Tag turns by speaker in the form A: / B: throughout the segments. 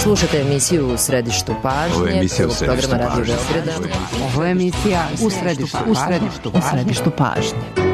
A: Slušate emisiju U središtu pažnje, prvog programa Radio Beograda.
B: Ovo je emisija U središtu pažnje.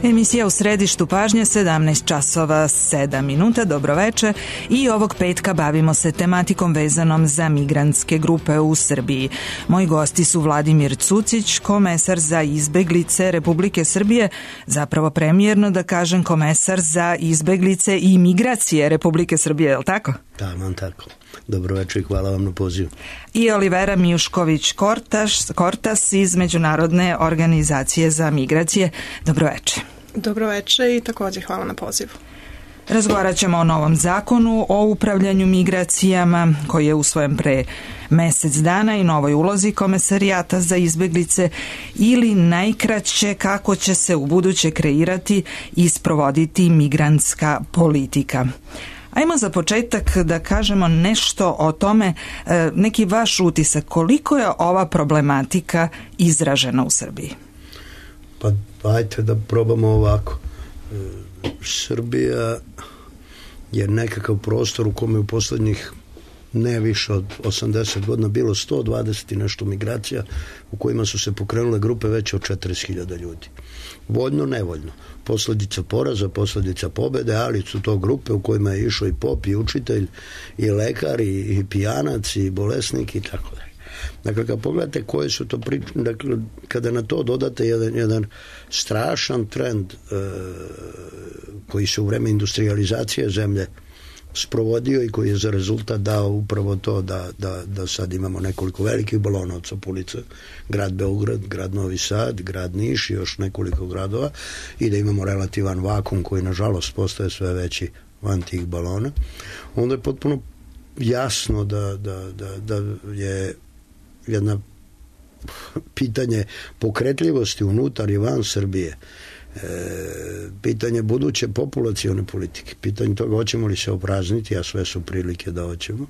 C: Emisija U središtu pažnje, 17 časova 7 minuta, dobroveče, i ovog petka bavimo se tematikom vezanom za migrantske grupe u Srbiji. Moji gosti su Vladimir Cucić, komesar za izbeglice Republike Srbije, zapravo premijerno da kažem komesar za izbeglice i migracije Republike Srbije, je li tako?
D: Da, vam tako. Dobroveče i hvala vam na pozivu.
C: I Olivera Mijušković-Kortas iz Međunarodne organizacije za migracije. Dobroveče.
E: Dobroveče i također hvala na pozivu.
C: Razgovarat ćemo o novom zakonu o upravljanju migracijama koji je usvojen pre mesec dana i novoj ulozi Komesarijata za izbeglice, ili najkraće kako će se ubuduće kreirati i sprovoditi migrantska politika. Ajmo za početak da kažemo nešto o tome, neki vaš utisak, koliko je ova problematika izražena u Srbiji?
D: Pa ajte da probamo ovako. Srbija je nekakav prostor u kome u poslednjih ne više od 80 godina bilo 120 i nešto migracija u kojima su se pokrenule grupe veće od 40.000 ljudi. Voljno, nevoljno. Posljedica poraza, posljedica pobede, ali su to grupe u kojima je išao i pop, i učitelj, i lekar, i pijanac, i bolesnik i tako dalje. Dakle, kad pogledate koje su to priče, dakle, kada na to dodate jedan strašan trend koji se u vreme industrializacije zemlje sprovodio i koji je za rezultat dao upravo to da sad imamo nekoliko velikih balona od Sapulice, grad Beograd, grad Novi Sad, grad Niš i još nekoliko gradova, i da imamo relativan vakum koji nažalost postaje sve veći van tih balona, onda je potpuno jasno da je jedna pitanje pokretljivosti unutar i van Srbije, pitanje buduće populacione politike, pitanje toga hoćemo li se oprazniti, a sve su prilike da hoćemo,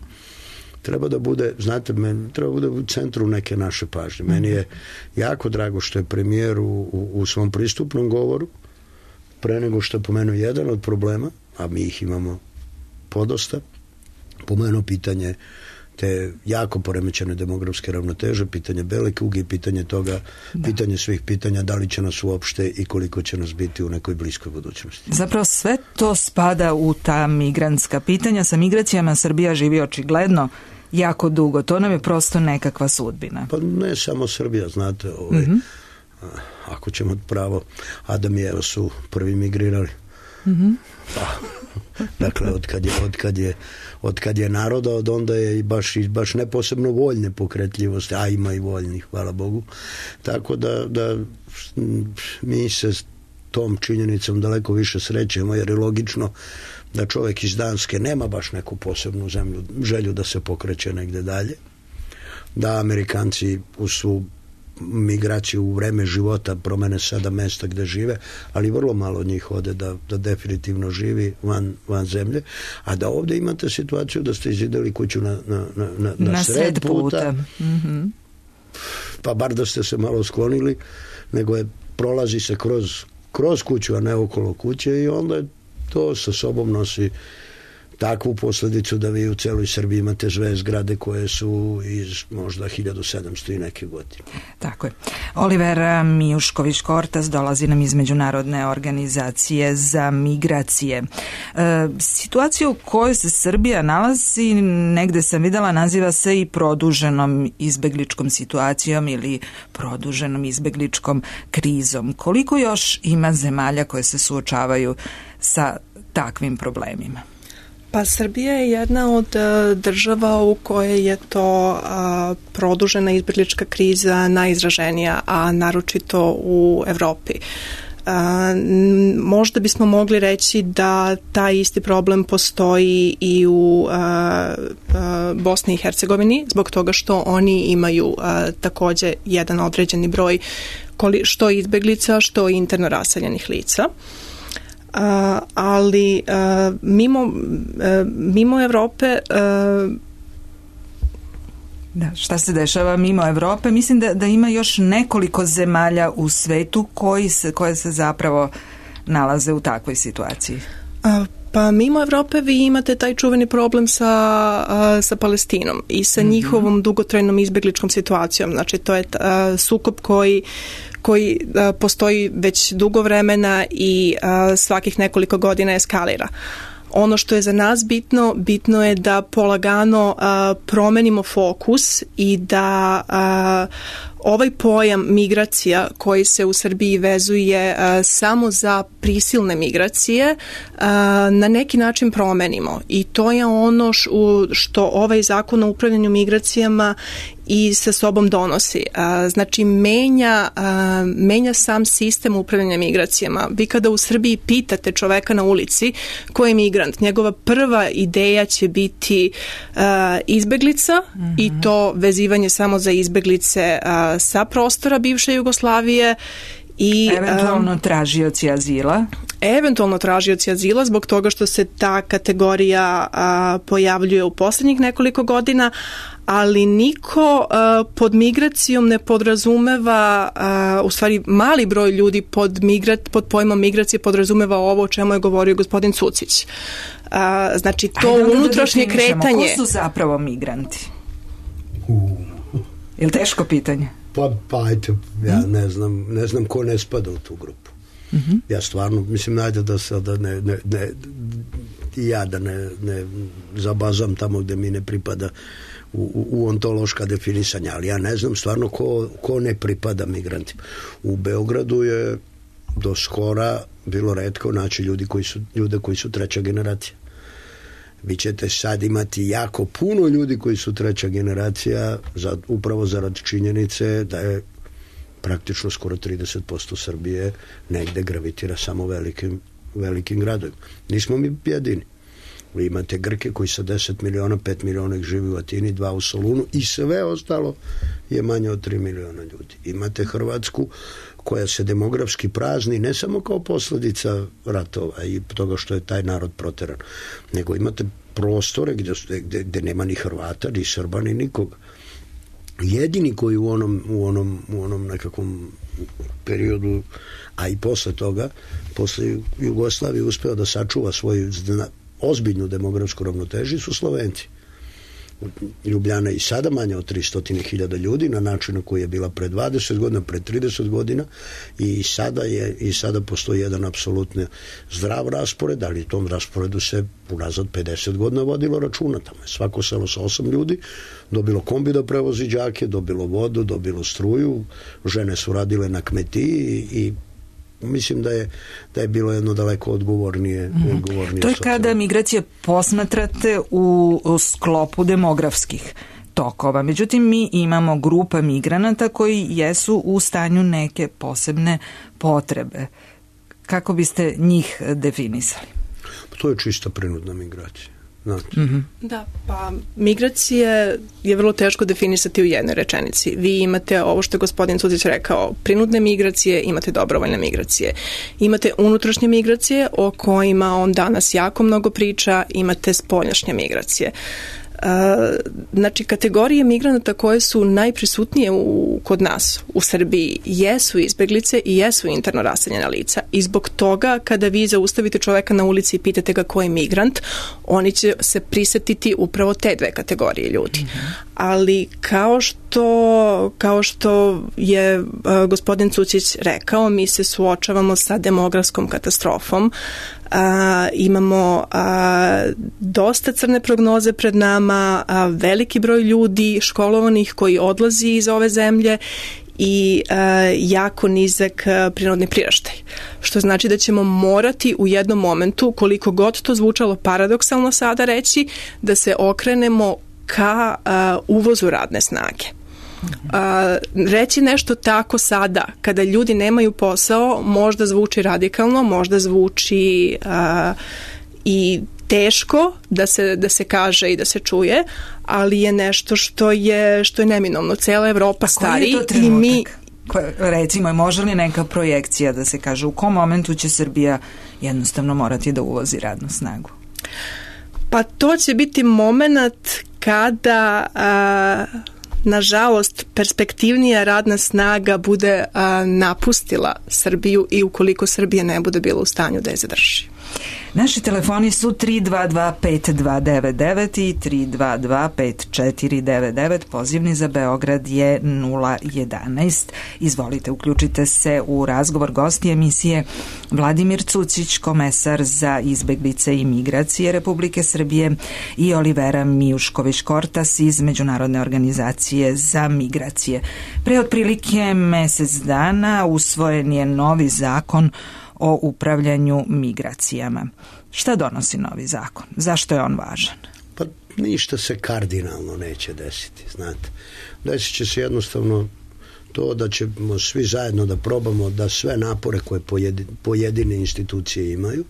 D: treba da bude, znate, treba da bude u centru neke naše pažnje. Meni je jako drago što je premijer u svom pristupnom govoru, pre nego što je pomenuo jedan od problema, a mi ih imamo podosta, pomenuo pitanje te jako poremećene demografske ravnoteže, pitanje bele kuge i pitanje toga, pitanje svih pitanja, da li će nas uopšte i koliko će nas biti u nekoj bliskoj budućnosti.
C: Zapravo sve to spada u ta migrantska pitanja. Sa migracijama Srbija živi očigledno jako dugo. To nam je prosto nekakva sudbina. Pa
D: ne samo Srbija, znate, ako ćemo pravo, Adam i Eva su prvi migrirali. Dakle, od kad je naroda, od onda je baš ne posebno voljne pokretljivosti, a ima i voljnih, hvala Bogu. Tako da mi se tom činjenicom daleko više srećemo, jer je logično da čovjek iz Danske nema baš neku posebnu želju da se pokreće negde dalje, da Amerikanci uz svu migraciju u vreme života, promene sada mesta gde žive, ali vrlo malo njih ode da definitivno živi van zemlje, a da ovde imate situaciju da ste izideli kuću na sred puta, pa bar da ste se malo sklonili, nego prolazi se kroz kuću, a ne okolo kuće, i onda to sa sobom nosi takvu posledicu da vi u celoj Srbiji imate sve zgrade koje su iz možda 1700 i neke godine.
C: Tako je. Oliver Mijušković-Kortas dolazi nam iz Međunarodne organizacije za migracije. Situacija u kojoj se Srbija nalazi, negde sam videla, naziva se i produženom izbegličkom situacijom ili produženom izbegličkom krizom. Koliko još ima zemalja koje se suočavaju sa takvim problemima?
E: Pa Srbija je jedna od država u kojoj je to produžena izbeglička kriza najizraženija, a naročito u Evropi. Možda bismo mogli reći da taj isti problem postoji i u Bosni i Hercegovini, zbog toga što oni imaju takođe jedan određeni broj što izbeglica, što interno raseljenih lica. Ali mimo Evrope
C: šta se dešava mimo Evrope? Mislim da ima još nekoliko zemalja u svetu koje se zapravo nalaze u takvoj situaciji.
E: Pa mimo Evrope vi imate taj čuveni problem sa Palestinom i sa njihovom dugotrajnom izbegličkom situacijom. Znači to je sukob koji postoji već dugo vremena i svakih nekoliko godina eskalira. Ono što je za nas bitno je da polagano promenimo fokus i da ovaj pojam migracija koji se u Srbiji vezuje samo za prisilne migracije na neki način promenimo. I to je ono što ovaj zakon o upravljanju migracijama i sa sobom donosi. Znači, menja sam sistem upravljanja migracijama. Vi kada u Srbiji pitate čoveka na ulici ko je migrant, njegova prva ideja će biti izbeglica i to vezivanje samo za izbeglice sa prostora bivše Jugoslavije i
C: eventualno tražioci azila.
E: Eventualno tražioci azila zbog toga što se ta kategorija pojavljuje u poslednjih nekoliko godina, ali niko pod migracijom ne podrazumeva, u stvari mali broj ljudi pod pojmom migracije podrazumeva ovo o čemu je govorio gospodin Cucić. Znači to unutrašnje kretanje.
C: Ko su zapravo migranti? Je li teško pitanje?
D: Pa ajte, ja ne znam ko ne spada u tu grupu. Ja stvarno, mislim, najde da sada ne zabazam tamo gde mi ne pripada u ontološka definisanja, ali ja ne znam stvarno ko ne pripada migrantima. U Beogradu je do skora bilo retko naći ljude koji su treća generacija. Vi ćete sad imati jako puno ljudi koji su treća generacija upravo zarad činjenice da je praktično skoro 30% Srbije negde gravitira samo velikim gradovima. Nismo mi jedini. Vi imate Grke koji sa 10 miliona, 5 miliona ih živi u Atini, 2 u Solunu i sve ostalo je manje od 3 miliona ljudi. Imate Hrvatsku koja se demografski prazni ne samo kao posledica ratova i toga što je taj narod proteran, nego imate prostore gde nema ni Hrvata, ni Srba, ni nikoga. Jedini koji u onom nekakvom periodu, a i posle toga, posle Jugoslavije uspeo da sačuva svoju ozbiljnu demografsku ravnotežu su Slovenci. Ljubljana je i sada manja od 300.000 ljudi na način na koji je bila pre 20 godina, pre 30 godina i sada postoji jedan apsolutno zdrav raspored, ali u tom rasporedu se unazad 50 godina vodilo računa. Tamo je svako selo sa 8 ljudi dobilo kombi da prevozi đake, dobilo vodu, dobilo struju, žene su radile na kmetiji i mislim da je bilo jedno daleko odgovornije.
C: To je kada migracije posmatrate u sklopu demografskih tokova. Međutim, mi imamo grupa migranata koji jesu u stanju neke posebne potrebe. Kako biste njih definisali?
D: To je čista prinudna migracija. Znači.
E: Da, pa migracije je vrlo teško definisati u jednoj rečenici. Vi imate ovo što je gospodin Cucić rekao, prinudne migracije, imate dobrovoljne migracije. Imate unutrašnje migracije o kojima on danas jako mnogo priča, imate spoljašnje migracije. Znači, kategorije migranata koje su najprisutnije kod nas u Srbiji jesu izbeglice i jesu interno raseljena lica. I zbog toga, kada vi zaustavite čoveka na ulici i pitate ga ko je migrant, oni će se prisetiti upravo te dve kategorije ljudi. Ali kao što je gospodin Cucić rekao, mi se suočavamo sa demografskom katastrofom. Imamo dosta crne prognoze pred nama, veliki broj ljudi školovanih koji odlazi iz ove zemlje i jako nizak prirodni priraštaj. Što znači da ćemo morati u jednom momentu, koliko god to zvučalo paradoksalno sada reći, da se okrenemo ka uvozu radne snage. Reći nešto tako sada, kada ljudi nemaju posao, možda zvuči radikalno, možda zvuči i teško da se kaže i da se čuje, ali je nešto što je neminovno. Cela Evropa stari i mi...
C: Recimo, može li neka projekcija da se kaže u kom momentu će Srbija jednostavno morati da uvozi radnu snagu?
E: Pa to će biti moment kada... nažalost, perspektivnija radna snaga bude napustila Srbiju i ukoliko Srbija ne bude bila u stanju da je zadrži.
C: Naši telefoni su 322-5299 i 322-5499. Pozivni za Beograd je 011. Izvolite, uključite se u razgovor. Gosti emisije Vladimir Cucić, komesar za izbeglice i migracije Republike Srbije, i Olivera Mijušković-Kortas iz Međunarodne organizacije za migracije. Pre otprilike mesec dana usvojen je novi zakon o upravljanju migracijama. Šta donosi novi zakon? Zašto je on važan?
D: Pa ništa se kardinalno neće desiti, znate. Desit će se jednostavno to da ćemo svi zajedno da probamo da sve napore koje pojedine institucije imaju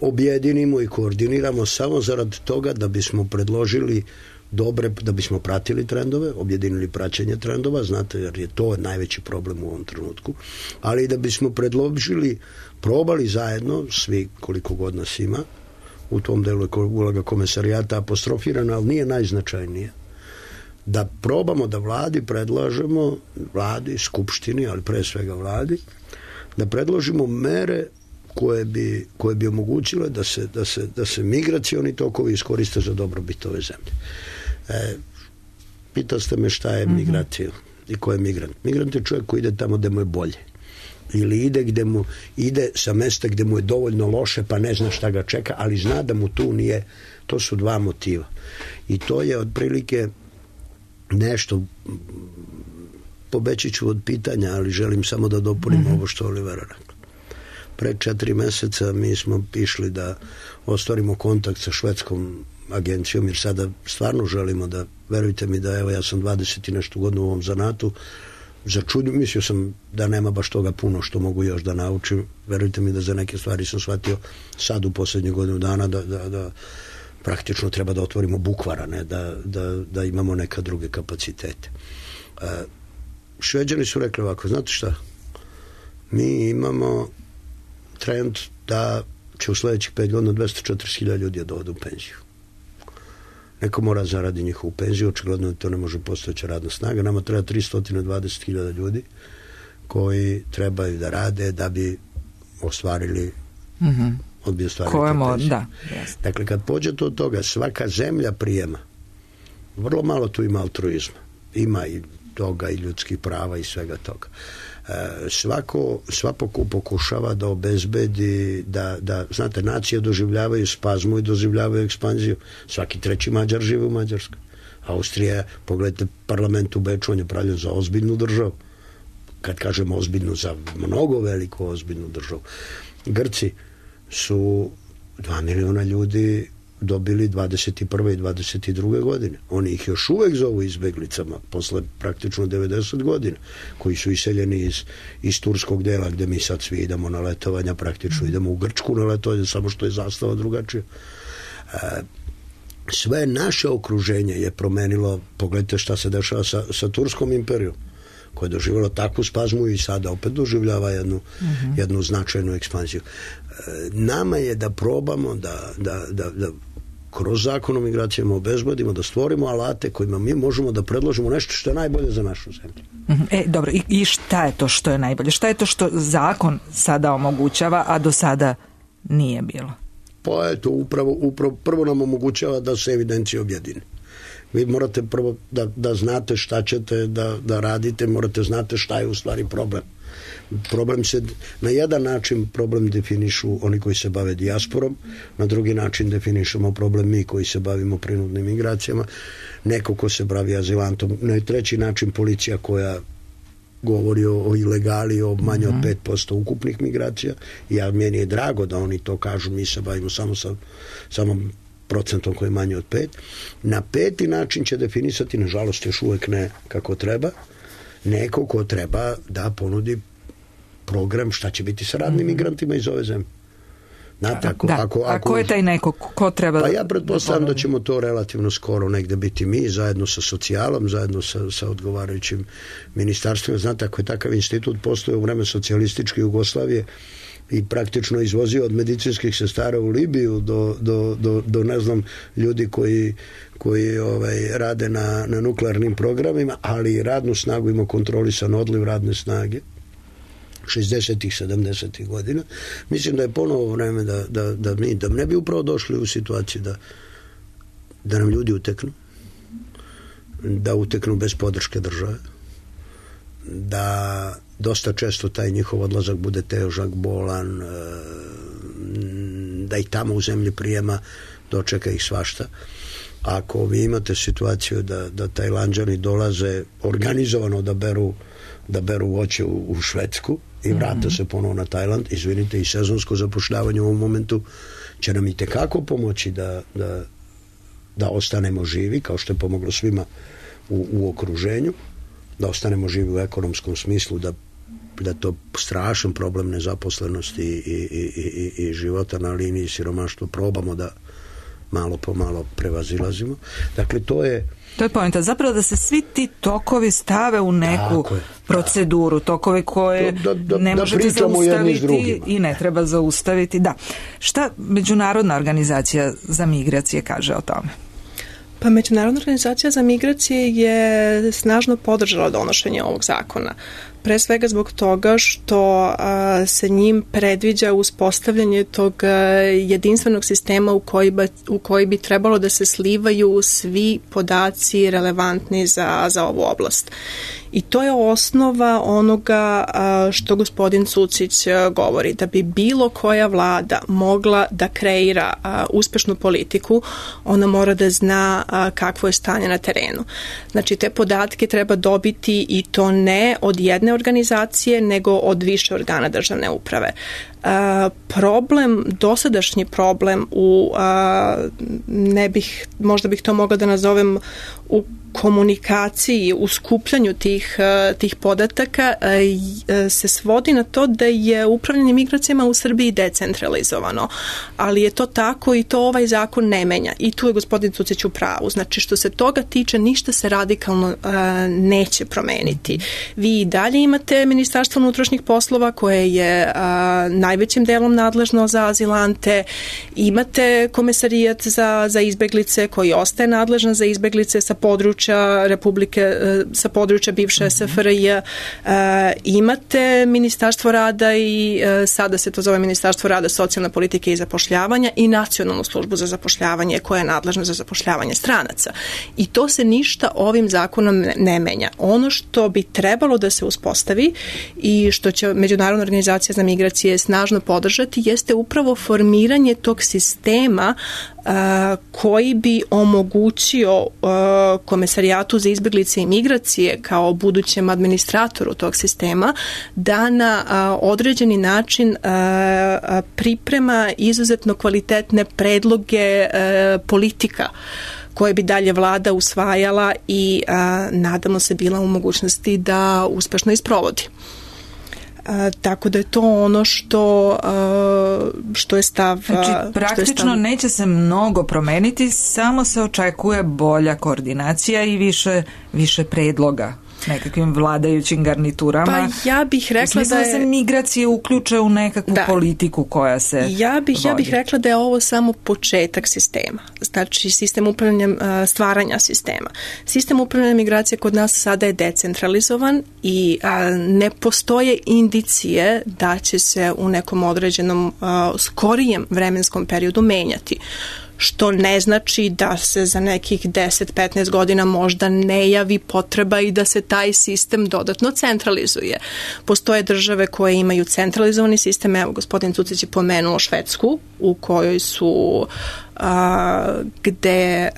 D: objedinimo i koordiniramo samo zarad toga da bismo predložili da bismo pratili trendove, objedinili praćenje trendova, znate, jer je to najveći problem u ovom trenutku, ali da bismo probali zajedno, svi koliko god nas ima, u tom delu je uloga komesarijata apostrofirana, ali nije najznačajnije, da probamo da vladi predlažemo, vladi, skupštini, ali pre svega vladi, da predložimo mere koje bi omogućile da se migracioni tokovi iskoriste za dobrobit ove zemlje. Pitali ste me šta je migracija i ko je migrant. Migrant je čovjek koji ide tamo gde mu je bolje. Ili ide sa mesta gde mu je dovoljno loše pa ne zna šta ga čeka, ali zna da mu tu nije. To su dva motiva. I to je otprilike nešto, pobeći ću od pitanja, ali želim samo da dopunim ovo što Olivera rekla. Pre 4 meseca mi smo išli da ostvarimo kontakt sa švedskom agencijom, jer sada stvarno želimo da, verujte mi da, evo, ja sam 20 i nešto godina u ovom zanatu, mislio sam da nema baš toga puno što mogu još da naučim, verujte mi da za neke stvari sam shvatio sad u posljednje godinu dana da praktično treba da otvorimo bukvara, ne, da imamo neka druge kapacitete. Šveđani su rekli ovako, znate šta, mi imamo trend da će u sledećih 5 godina 240.000 ljudi da ode u penziju. Neko mora zaradi njihovu penziju, očigledno da to ne može postojeća radna snaga. Nama treba 320.000 ljudi koji trebaju da rade da bi ostvarili penziju.
C: Da,
D: dakle, kad pođete od toga, svaka zemlja prijema, vrlo malo tu ima altruizma. Ima i toga i ljudskih prava i svega toga. Svako pokušava da obezbedi da znate, nacije doživljavaju spazmu i doživljavaju ekspanziju. Svaki treći Mađar živi u Mađarskoj. Austrija, pogledajte, parlament u Beču, on je pravljen za ozbiljnu državu. Kad kažemo ozbiljnu, za mnogo veliku ozbiljnu državu. Grci su 2 miliona ljudi dobili 21. i 22. godine. Oni ih još uvek zovu izbeglicama posle praktično 90 godina, koji su iseljeni iz turskog dela gde mi sad svi idemo na letovanja, praktično idemo u Grčku na letovanje, samo što je zastava drugačija. Sve naše okruženje je promenilo, pogledajte šta se dešava sa Turskom imperijom, koja je doživjela takvu spazmu i sada opet doživljava jednu značajnu ekspansiju. Nama je da probamo da kroz zakon o migracijama obezbedimo, da stvorimo alate kojima mi možemo da predložimo nešto što je najbolje za našu zemlju.
C: Dobro, i šta je to što je najbolje? Šta je to što zakon sada omogućava, a do sada nije bilo?
D: Pa eto, upravo prvo nam omogućava da se evidencije objedine. Vi morate prvo da znate šta ćete da radite, morate znate šta je u stvari problem. Problem se, na jedan način problem definišu oni koji se bave dijasporom, na drugi način definišemo problem mi koji se bavimo prinudnim migracijama, neko ko se bavi azilantom, na treći način policija koja govori o ilegali, o manje od 5% ukupnih migracija. Meni je drago da oni to kažu, mi se bavimo samo procentom koji je manje od 5. Na peti način će definisati, nažalost još uvek ne kako treba, neko ko treba da ponudi program šta će biti sa radnim migrantima iz ove zemlje.
C: A ko je taj neko? Ko treba
D: pa ja pretpostavljam da ćemo to relativno skoro negde biti mi, zajedno sa socijalom, zajedno sa odgovarajućim ministarstvima. Znate, ako je takav institut postoje u vreme socijalističke Jugoslavije i praktično izvozio od medicinskih sestara u Libiju do ne znam, ljudi koji rade na nuklearnim programima, ali radnu snagu ima kontrolisan odliv radne snage 60-ih, 70-ih godina. Mislim da je ponovo vreme da ne bi upravo došli u situaciju da nam ljudi uteknu, da uteknu bez podrške države, da dosta često taj njihov odlazak bude težak, bolan, da ih tamo u zemlji prijema dočeka ih svašta. Ako vi imate situaciju da Tajlanđani dolaze organizovano da beru voće u Švedsku i vrate se ponovo na Tajland, izvinite, i sezonsko zapošljavanje u ovom momentu će nam i tekako pomoći da ostanemo živi, kao što je pomoglo svima u okruženju, da ostanemo živi u ekonomskom smislu, da to strašan problem nezaposlenosti i života na liniji siromaštva probamo da malo po malo prevazilazimo. Dakle, to je
C: poenta. Zapravo da se svi ti tokovi stave u neku proceduru, tokovi koje ne možete zaustaviti i ne treba zaustaviti. Da. Šta Međunarodna organizacija za migracije kaže o tome?
E: Pa Međunarodna organizacija za migracije je snažno podržala donošenje ovog zakona. Pre svega zbog toga što se njim predviđa uspostavljanje tog jedinstvenog sistema u koji bi trebalo da se slivaju svi podaci relevantni za ovu oblast. I to je osnova onoga što gospodin Cucić govori, da bi bilo koja vlada mogla da kreira uspešnu politiku, ona mora da zna kakvo je stanje na terenu. Znači, te podatke treba dobiti i to ne od jedne organizacije, nego od više organa državne uprave. Dosadašnji problem možda bih to mogla da nazovem u komunikaciji, u skupljanju tih podataka se svodi na to da je upravljanje migracijama u Srbiji decentralizovano, ali je to tako i to ovaj zakon ne menja i tu je gospodin Cucić u pravu. Znači, što se toga tiče, ništa se radikalno neće promeniti. Vi i dalje imate Ministarstvo unutrašnjih poslova koje je najvećim delom nadležno za azilante, imate Komesarijat za izbeglice koji ostaje nadležan za izbeglice sa područja Republike, sa područja bivše SFRJ, imate Ministarstvo rada i sada se to zove Ministarstvo rada, socijalne politike i zapošljavanja i Nacionalnu službu za zapošljavanje koja je nadležna za zapošljavanje stranaca. I to se ništa ovim zakonom ne menja. Ono što bi trebalo da se uspostavi i što će Međunarodna organizacija za migracije snažno podržati jeste upravo formiranje tog sistema koji bi omogućio Komesarijatu za izbeglice i migracije kao budućem administratoru tog sistema da na određeni način priprema izuzetno kvalitetne predloge politika koje bi dalje vlada usvajala i nadamo se bila u mogućnosti da uspešno isprovodi. Tako da je to ono što je stav.
C: Znači, praktično neće se mnogo promeniti, samo se očekuje bolja koordinacija i više predloga nekakvim vladajućim garniturama.
E: Pa ja bih rekla
C: da se migracije uključe u nekakvu politiku koja se vodi.
E: Ja bih rekla da je ovo samo početak sistema. Znači, sistem upravljanja, stvaranja sistema. Sistem upravljanja migracije kod nas sada je decentralizovan i ne postoje indicije da će se u nekom određenom skorijem vremenskom periodu menjati. Što ne znači da se za nekih 10-15 godina možda ne javi potreba i da se taj sistem dodatno centralizuje. Postoje države koje imaju centralizovani sistem, evo gospodin Cucić je pomenuo Švedsku, u kojoj su gde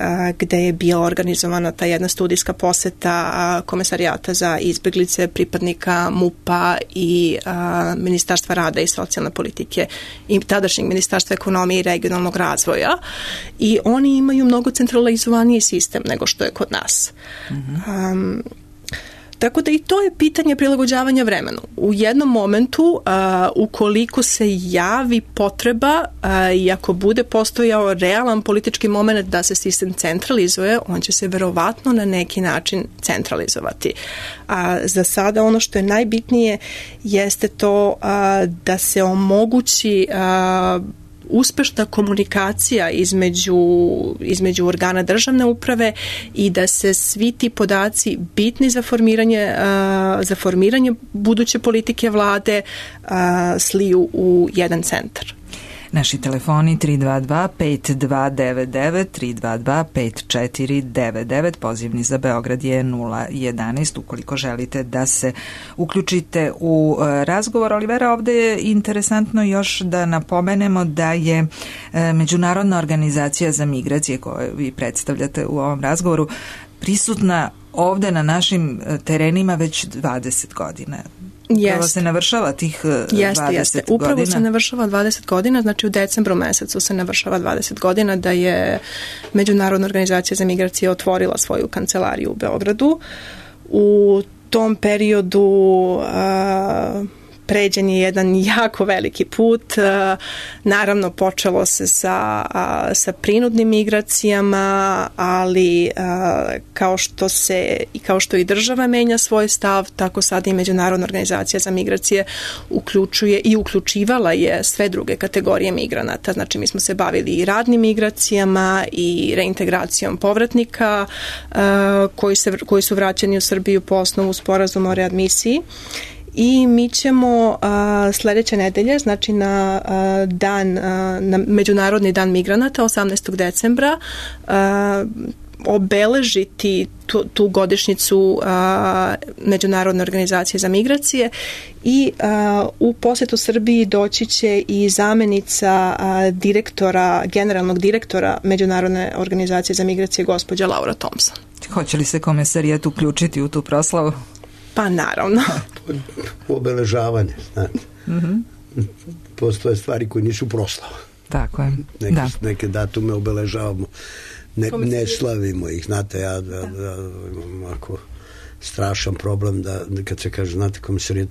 E: je bila organizovana ta jedna studijska poseta Komesarijata za izbeglice, pripadnika MUP-a i Ministarstva rada i socijalne politike i tadašnjeg Ministarstva ekonomije i regionalnog razvoja, i oni imaju mnogo centralizovaniji sistem nego što je kod nas. Tako da i to je pitanje prilagođavanja vremenu. U jednom momentu, ukoliko se javi potreba i ako bude postojao realan politički moment da se sistem centralizuje, on će se verovatno na neki način centralizovati. Za sada ono što je najbitnije jeste to da se omogući uspešna komunikacija između organa državne uprave i da se svi ti podaci bitni za formiranje buduće politike vlade sliju u jedan centar.
C: Naši telefoni 322-5299, 322-5499, pozivni za Beograd je 011 ukoliko želite da se uključite u razgovor. Olivera, ovde je interesantno još da napomenemo da je Međunarodna organizacija za migracije koju vi predstavljate u ovom razgovoru prisutna ovde na našim terenima već 20 godina. Upravo se navršava tih 20 godina.
E: Upravo se navršava 20 godina, znači u decembru mesecu se navršava 20 godina da je Međunarodna organizacija za migracije otvorila svoju kancelariju u Beogradu. U tom periodu pređen je jedan jako veliki put. Naravno, počelo se sa prinudnim migracijama, ali kao što i država menja svoj stav, tako sad i Međunarodna organizacija za migracije uključuje i uključivala je sve druge kategorije migranata. Znači, mi smo se bavili i radnim migracijama i reintegracijom povratnika koji su vraćeni u Srbiju po osnovu sporazuma o readmisiji. I mi ćemo sledeće nedelje, znači na Međunarodni dan migranata 18. decembra obeležiti tu godišnjicu Međunarodne organizacije za migracije i u posetu Srbiji doći će i zamenica generalnog direktora Međunarodne organizacije za migracije gospođa Laura Thompson.
C: Hoće li se Komesarijat uključiti u tu proslavu?
E: Pa naravno.
D: Obeležavanje, znate. Postoje stvari koje nisu proslava.
C: Tako je.
D: Neke datume obeležavamo. Ne slavimo ih. Znate, ja imam ovako strašan problem da kad se kaže, znate, Komesarijat,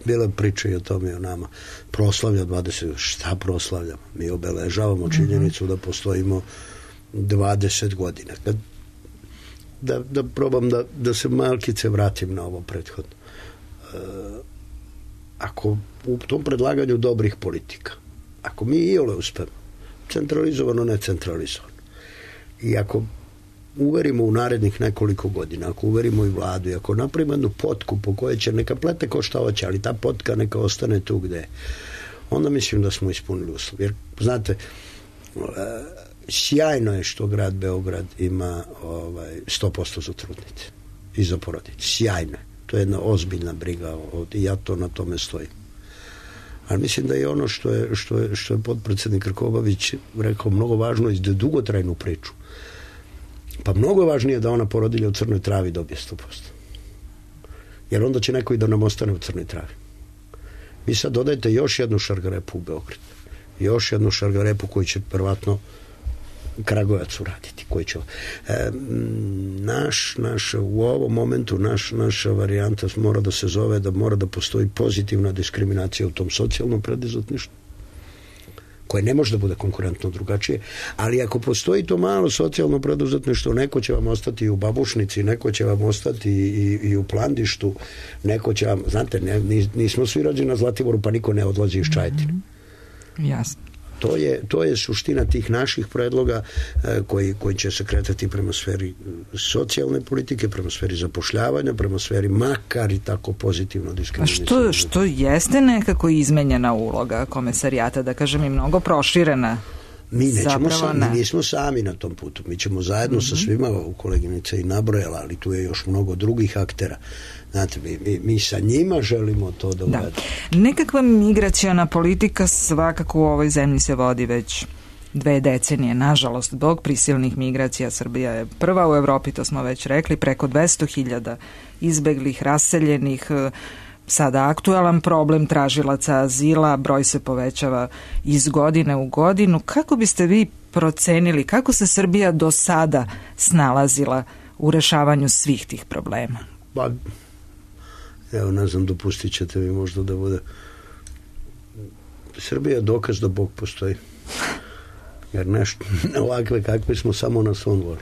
D: bila priča i o tome i o nama. Proslavlja 20. Šta proslavljamo? Mi obeležavamo činjenicu da postojimo 20 godina. Da probam da se malkice vratim na ovo prethodno. Ako u tom predlaganju dobrih politika, ako mi iole uspemo, centralizovano, ne centralizovano, i ako uverimo u narednih nekoliko godina, ako uverimo i vladu, i ako napravimo jednu potku po kojoj će neka plete ko šta hoće, ali ta potka neka ostane tu gde je, onda mislim da smo ispunili uslov. Jer, znate, sjajno je što grad Beograd ima 100% za trudnice i za porodice. Sjajno je. To je jedna ozbiljna briga i ja to na tome stojim. Ali mislim da je ono što je potpredsednik Krkobabić rekao mnogo važno i za dugotrajnu priču. Pa mnogo je važnije da ona porodilja u Crnoj Travi dobije 100%. Jer onda će neko i da nam ostane u Crnoj Travi. Vi sad dodajete još jednu šargarepu u Beograd. Još jednu šargarepu koju će prvatno Kragujevac uraditi? Koji će... u ovom momentu naša varijanta mora da se zove da mora da postoji pozitivna diskriminacija u tom socijalnom preduzetništvu, koje ne može da bude konkurentno drugačije, ali ako postoji to malo socijalno preduzetništvo, neko će vam ostati i u Babušnici, neko će vam ostati i u Plandištu, neko će vam, znate, nismo svi rođeni na Zlatiboru, pa niko ne odlazi iz Čajetine.
C: Jasno.
D: To je suština tih naših predloga koji će se kretati prema sferi socijalne politike, prema sferi zapošljavanja, prema sferi makar i tako pozitivno diskriminacije.
C: A što jeste nekako izmenjena uloga komesarijata, da kažem i mnogo proširena?
D: Mi nismo sami na tom putu. Mi ćemo zajedno sa svima, koleginica i nabrojala, ali tu je još mnogo drugih aktera. Znate, mi sa njima želimo to da uradimo.
C: Nekakva migraciona politika svakako u ovoj zemlji se vodi već 2 decenije. Nažalost, zbog prisilnih migracija Srbija je prva u Evropi, to smo već rekli, preko 200.000 izbeglih, raseljenih, sada aktualan problem tražilaca azila, broj se povećava iz godine u godinu. Kako biste vi procenili, kako se Srbija do sada snalazila u rešavanju svih tih problema?
D: Pa, evo, ne znam, dopustit ćete mi možda da bude... Srbija je dokaz da Bog postoji. Jer nešto ovakve kakve smo samo na svom dvoru.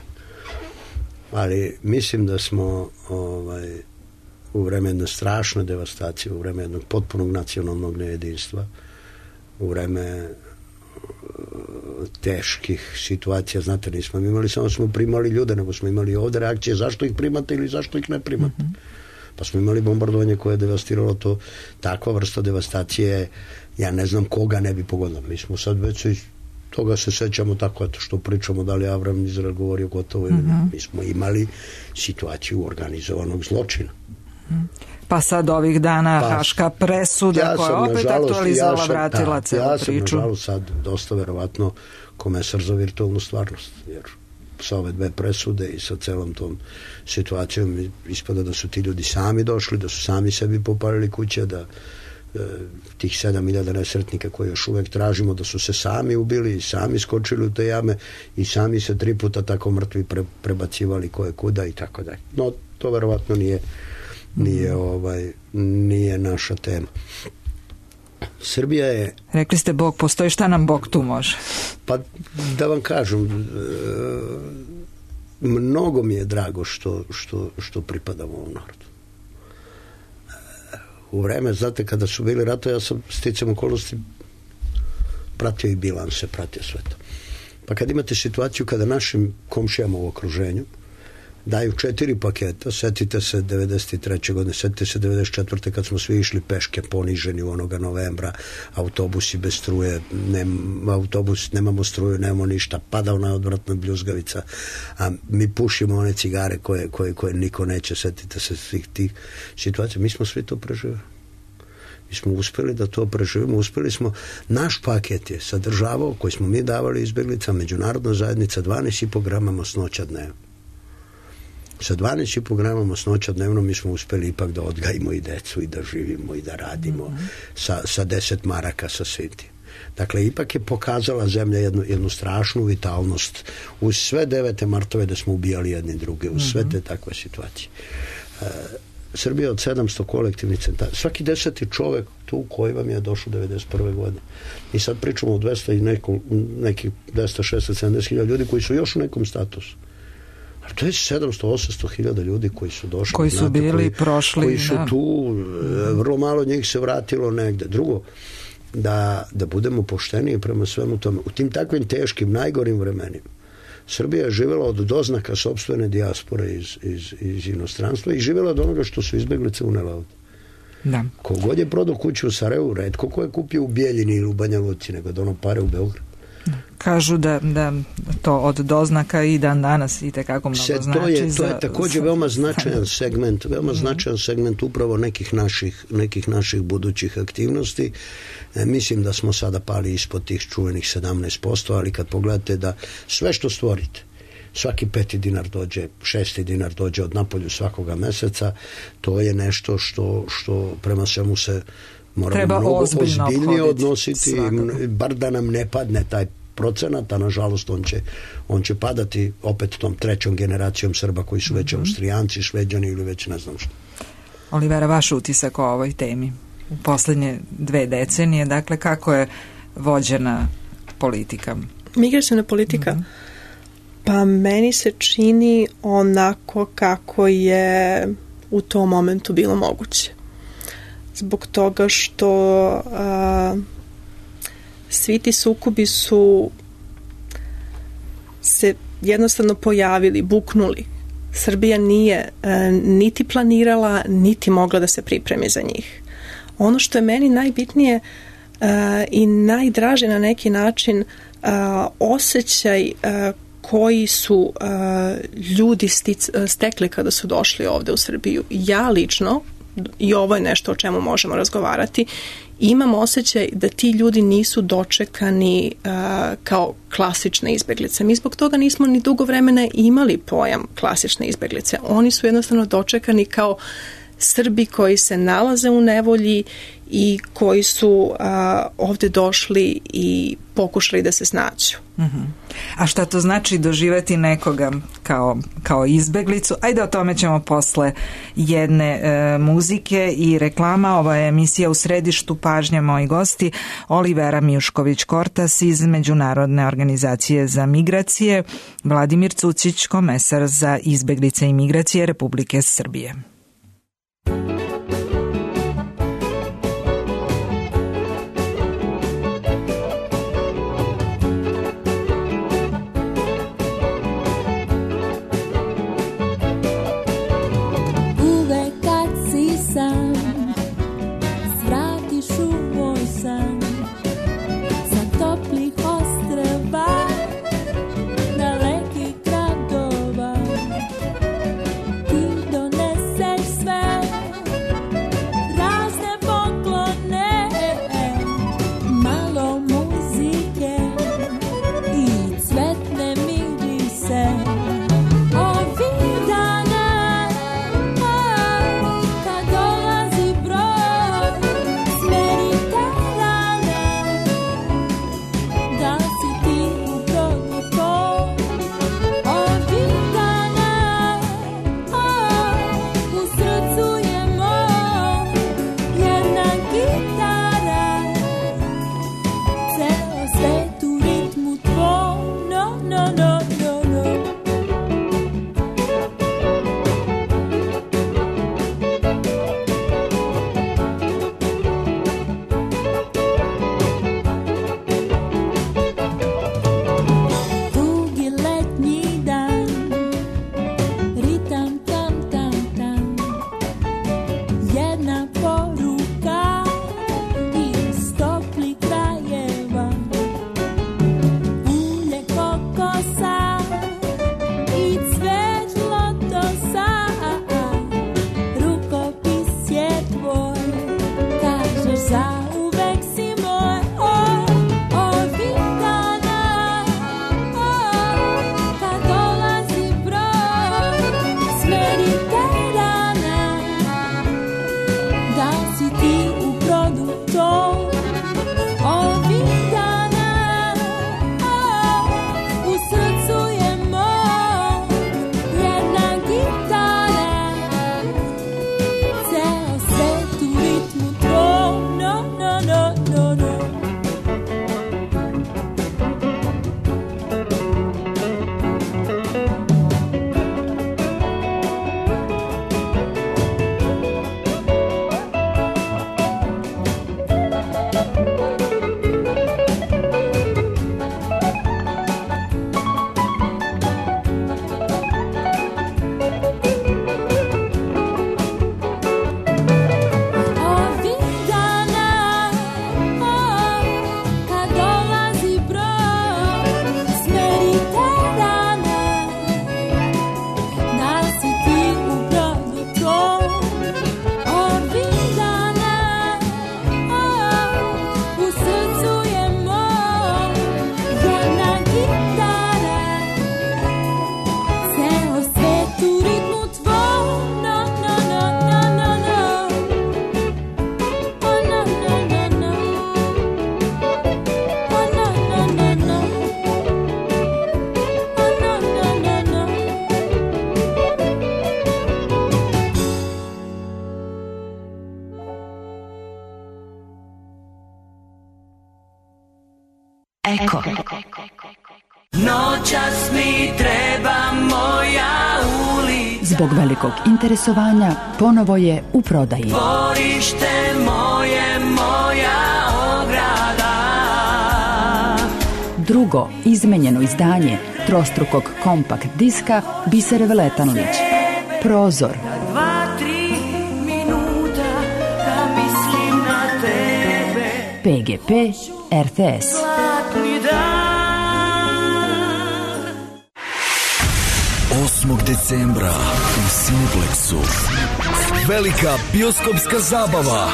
D: Ali mislim da smo u vreme jedne strašne devastacije, u vreme jednog potpunog nacionalnog nejedinstva, u vreme teških situacija, znate, nismo imali, samo smo primali ljude, nego smo imali ovde reakcije zašto ih primate ili zašto ih ne primate. Pa smo imali bombardovanje koje je devastiralo to. Takva vrsta devastacije, ja ne znam koga ne bi pogodila. Mi smo sad već iz toga se sećamo tako, eto što pričamo, da li Avram Izrael govorio gotovo ili ne. Mi smo imali situaciju organizovanog zločina.
C: Pa sad ovih dana haška presuda koja opet aktualizovala, vratila celu priču.
D: Ja sam nažalost sad dosta verovatno komesar za virtualnu stvarnost, jer sa ove 2 presude i sa celom tom situacijom ispada da su ti ljudi sami došli, da su sami sebi popalili kuće, da tih 7.000 nesretnika koje još uvek tražimo, da su se sami ubili i sami skočili u te jame i sami se 3 puta tako mrtvi prebacivali koje kuda i tako dalje. No, to verovatno nije naša tema. Srbija je...
C: Rekli ste Bog postoji, šta nam Bog tu može?
D: Pa da vam kažem, mnogo mi je drago što pripadamo ovom narodu. U vreme, znate, kada su bili rato, ja sam sticam okolnosti pratio i bilanse, pratio sve to. Pa kad imate situaciju kada našim komšijama u okruženju daju 4 paketa, setite se 93. godine, setite se 94. kad smo svi išli peške poniženi u onoga novembra, autobusi bez struje, nemamo struju, nemamo ništa, pada ona odvratna bljuzgavica, a mi pušimo one cigare koje niko neće, setite se svih tih situacija. Mi smo svi to preživeli. Mi smo uspeli da to preživimo, uspeli smo, naš paket je sadržavao, koji smo mi davali izbeglicama, međunarodna zajednica, 12,5 grama masnoća dnevno. Sa 12,5 grama masnoća dnevno mi smo uspeli ipak da odgajimo i decu i da živimo i da radimo sa 10 maraka sa sviti. Dakle, ipak je pokazala zemlja jednu strašnu vitalnost uz sve 9. martove da smo ubijali jedni druge, uz sve te takve situacije. Srbija od 700 kolektivnih centara, svaki 10. čovek tu koji vam je došao 91. godine. I sad pričamo o 200 i nekih 260-70 hiljada ljudi koji su još u nekom statusu. Ali to je 700-800 hiljada ljudi koji su došli.
C: Koji su bili prošli.
D: Koji su tu, vrlo malo njih se vratilo negde. Drugo, da budemo pošteniji prema svemu tome. U tim takvim teškim, najgorim vremenima Srbija je živjela od doznaka sopstvene dijaspore iz inostranstva i živjela od onoga što su izbeglice unele ovde.
C: Da.
D: Kogod je prodao kuću u Sarajevu, retko ko je kupio u Bijeljini ili u Banja Luci, nego da ono pare u Beograd.
C: Kažu da to od doznaka i dan danas i tekako mnogo znači.
D: To je također veoma značajan segment upravo nekih naših budućih aktivnosti. Mislim da smo sada pali ispod tih čuvenih 17%, ali kad pogledate da sve što stvorite, svaki 5. dinar dođe, 6. dinar dođe od napolju svakoga meseca, to je nešto što prema svemu se moramo mnogo ozbiljnije odnositi, bar da nam ne padne taj procenata, nažalost on će padati opet tom trećom generacijom Srba koji su već Austrijanci, Šveđani ili već ne znam što.
C: Olivera, vaš utisak o ovoj temi u poslednje 2 decenije, dakle kako je vođena politika?
E: Migraciona politika? Pa meni se čini onako kako je u tom momentu bilo moguće. Zbog toga što svi ti sukobi su se jednostavno pojavili, buknuli. Srbija nije niti planirala, niti mogla da se pripremi za njih. Ono što je meni najbitnije i najdraže na neki način osjećaj koji su ljudi stekli kada su došli ovde u Srbiju. Ja lično, i ovo je nešto o čemu možemo razgovarati, imam osjećaj da ti ljudi nisu dočekani kao klasične izbeglice. Mi zbog toga nismo ni dugo vremena imali pojam klasične izbeglice. Oni su jednostavno dočekani kao Srbi koji se nalaze u nevolji i koji su ovde došli i pokušali da se snađu.
C: A šta to znači doživeti nekoga kao izbeglicu? Ajde, o tome ćemo posle jedne muzike i reklama. Ova je emisija U središtu pažnje, moji gosti Olivera Mijušković-Kortas iz Međunarodne organizacije za migracije, Vladimir Cucić, komesar za izbeglice i migracije Republike Srbije.
F: Dalekih gradova ti donese
B: Eko.
F: Noćas mi treba moja ulica.
B: Zbog velikog interesovanja ponovo je u prodaji.
F: Dvorište moje, moja ograda.
B: Drugo izmenjeno izdanje trostrukog kompakt diska Bisere Veletanović. Prozor.
F: 2-3 minuta da mislim na tebe.
B: PGP RTS.
F: Zlatni dan.
G: 8. decembra u Cineplexu velika bioskopska zabava.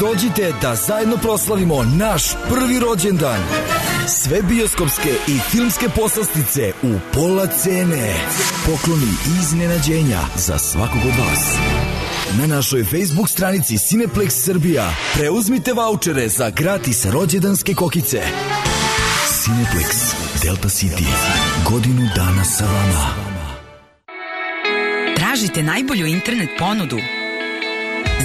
G: Dođite da zajedno proslavimo naš prvi rođendan. Sve bioskopske i filmske poslastice u pola cene. Pokloni i iznenađenja za svakog od vas. Na našoj Facebook stranici Cineplex Srbija preuzmite vaučere za gratis rođendanske kokice. Cineplex Delta City. Godinu dana sa vama.
H: Tražite najbolju internet ponudu?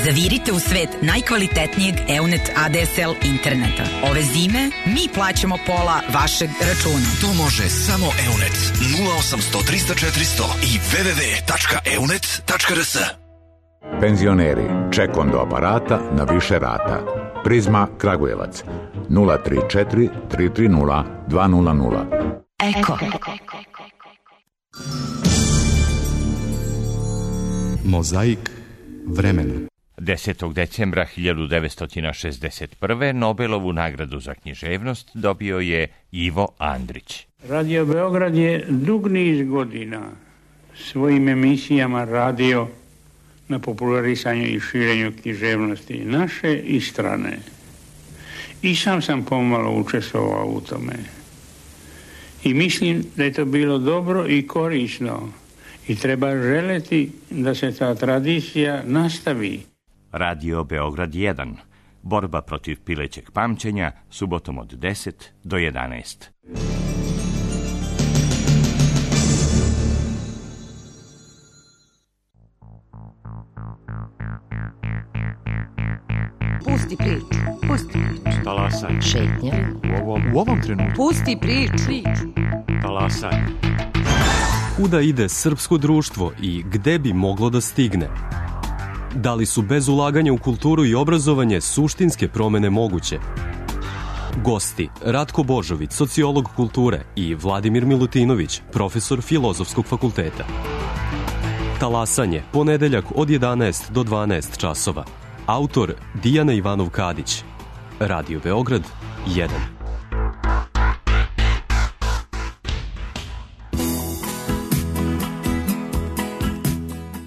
H: Zavirite u svet najkvalitetnijeg EUNET ADSL interneta. Ove zime mi plaćamo pola vašeg računa.
G: To može samo EUNET 0800 300 400 i www.eunet.rs.
I: Penzioneri, ček do aparata na više rata. Prizma Kragujevac 034 330 200.
B: Eko.
J: Mozaik vremena.
K: 10. decembra 1961. Nobelovu nagradu za književnost dobio je Ivo Andrić.
L: Radio Beograd je dug niz godina svojim emisijama radio na popularisanju i širenju književnosti naše i strane. I sam pomalo učestvovao u tome. I mislim da je to bilo dobro i korisno i treba želeti da se ta tradicija nastavi.
K: Radio Beograd 1. Borba protiv pilećeg pamćenja, subotom od 10 do 11.
A: Pusti priču. Pusti priču.
J: Talasaj.
A: Šetnja.
J: U ovom trenutku.
A: Pusti priču.
J: Talasaj. Kuda ide srpsko društvo i gde bi moglo da stigne? Da li su bez ulaganja u kulturu i obrazovanje suštinske promene moguće? Gosti Ratko Božović, sociolog kulture, i Vladimir Milutinović, profesor Filozofskog fakulteta. Talasanje, ponedeljak od 11 do 12 časova. Autor Dijana Ivanov-Kadić. Radio Beograd 1.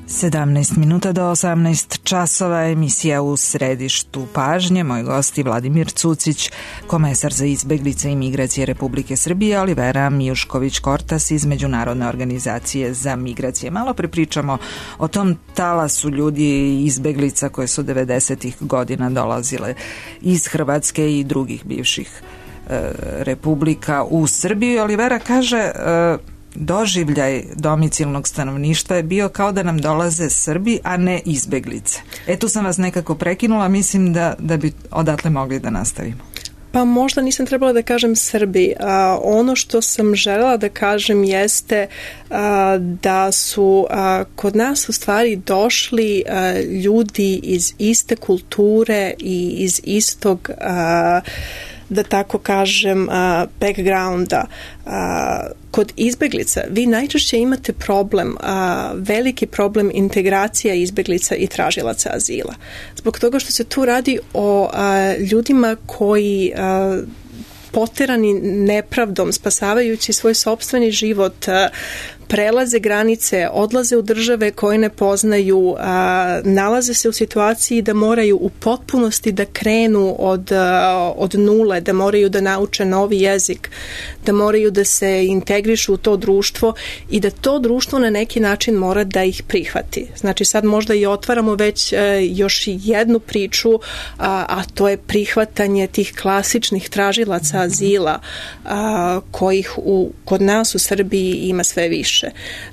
C: 17 minuta do 18 časova, emisija U središtu pažnje. Moj gosti Vladimir Cucić, komesar za izbeglice i migracije Republike Srbije, Olivera Mijušković-Kortas iz Međunarodne organizacije za migracije. Malo prepričamo o tom talasu ljudi i izbeglica koje su 90-ih godina dolazile iz Hrvatske i drugih bivših republika u Srbiju. Olivera kaže... doživljaj domicilnog stanovništva je bio kao da nam dolaze Srbi, a ne izbeglice. Tu sam vas nekako prekinula, mislim da bi odatle mogli da nastavimo.
E: Pa možda nisam trebala da kažem Srbi. Ono što sam želela da kažem jeste da su kod nas u stvari došli ljudi iz iste kulture i iz istog da tako kažem backgrounda. Kod izbeglica vi najčešće imate problem, veliki problem integracija izbeglica i tražilaca azila. Zbog toga što se tu radi o ljudima koji poterani nepravdom, spasavajući svoj sopstveni život, prelaze granice, odlaze u države koje ne poznaju, nalaze se u situaciji da moraju u potpunosti da krenu od nule, da moraju da nauče novi jezik, da moraju da se integrišu u to društvo i da to društvo na neki način mora da ih prihvati. Znači sad možda i otvaramo već još jednu priču, a to je prihvatanje tih klasičnih tražilaca azila kojih kod nas u Srbiji ima sve više.